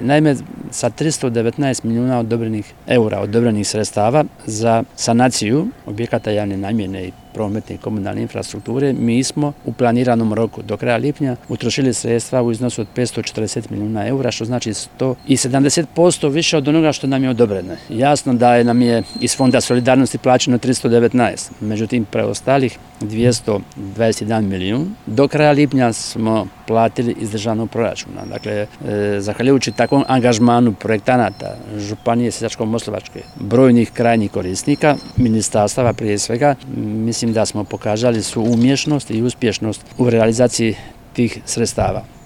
Naime, sa 319 milijuna odobrenih sredstava za sanaciju objekata javne namjene i prometne i komunalne infrastrukture, mi smo u planiranom roku do kraja lipnja utrošili sredstva u iznosu od 540 milijuna eura, što znači 170% više od onoga što nam je odobreno. Jasno da nam je iz Fonda solidarnosti plaćeno 319, međutim preostalih 221 milijun do kraja lipnja smo platili iz državnog proračuna. Dakle, zahvaljujući takvom angažmanu projektanata, županije Sisačko-moslavačke, brojnih krajnjih korisnika, ministarstava prije svega, mislim da smo pokazali svu umješnost i uspješnost u realizaciji tih sredstava.